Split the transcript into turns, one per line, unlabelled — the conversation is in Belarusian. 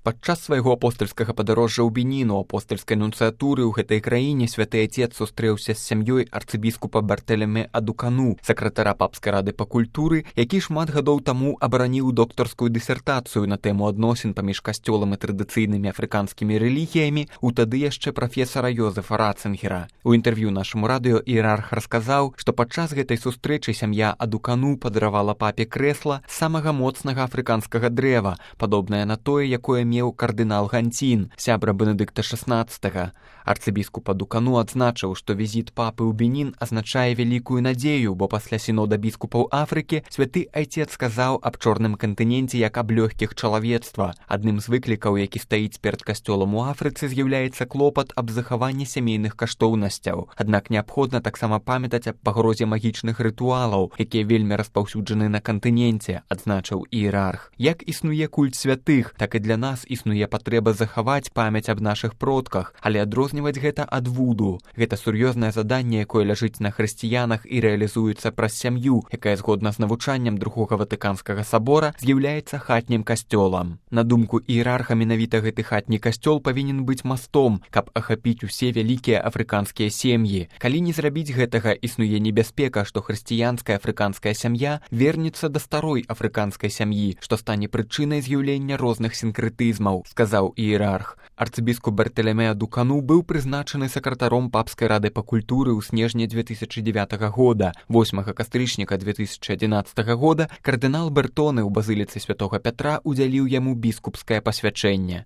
Падчас свайго апостальскага падарожжа ў Бенін у апостальскай нунцыятуры ў гэтай краіне святы айцец сустрэўся з сям'ёй арцыбіскупа Бартэлемэ Адукану, сакратара папскай рады па культуры, які шмат гадоў таму абараніў доктарскую дысертацыю на тэму адносін паміж касцёлам і традыцыйнымі афрыканскімі рэлігіямі у тады яшчэ прафесара Йозефа Ратцынгера. У інтэрв'ю нашаму радыё іерарх расказаў, што падчас гэтай сустрэчы сям'я Адукану падаравала папе крэсла самага моцнага афрыканскага дрэва, падобнае на тое, якое меў кардынал Гантін, сябра Бенедыкта XVI. Арцыбіскуп Адукану адзначыў, што візіт папы ў Бенін азначае вялікую надзею, бо пасля сінода біскупаў Афрыкі святы айцец сказаў аб чорным кантыненце як аб лёгкіх чалавецтва. Адным з выклікаў, які стаіць перад касцёлам у Афрыцы, з'яўляецца клопат аб захаванні сямейных каштоўнасцяў. Аднак неабходна таксама памятаць аб пагрозе магічных рытуалаў, якія вельмі распаўсюджаны на кантыненце, адзначыў іерарх. Як існуе культ святых, так і для нас існуе патрэба захаваць памяць аб нашых продках, але адрозніваць гэта ад вуду. Гэта сур'ёзнае заданне, якое ляжыць на хрысціянах і рэалізуецца праз сям'ю, якая згодна з навучаннем Другога Ватыканскага сабора з'яўляецца хатнім касцёлам. На думку іерарха, менавіта гэты хатні касцёл павінен быць мастом, каб ахапіць усе вялікія афрыканскія сем'і. Калі не зрабіць гэтага, існуе небяспека, што хрысціянская афрыканская сям'я вернецца да старой афрыканскай сям'і, што стане прычынай з'яўлення розных сінкрэтызмаў, сказаў іерарх. Арцыбіскуп Бартэлемэ Адукану быў прызначаны сакратаром папскай рады па культуры ў снежні 2009 года. 8 кастрычніка 2011 года кардынал Бертоны ў базыліцы святога Пятра удзяліў яму біскупскае пасвячэнне.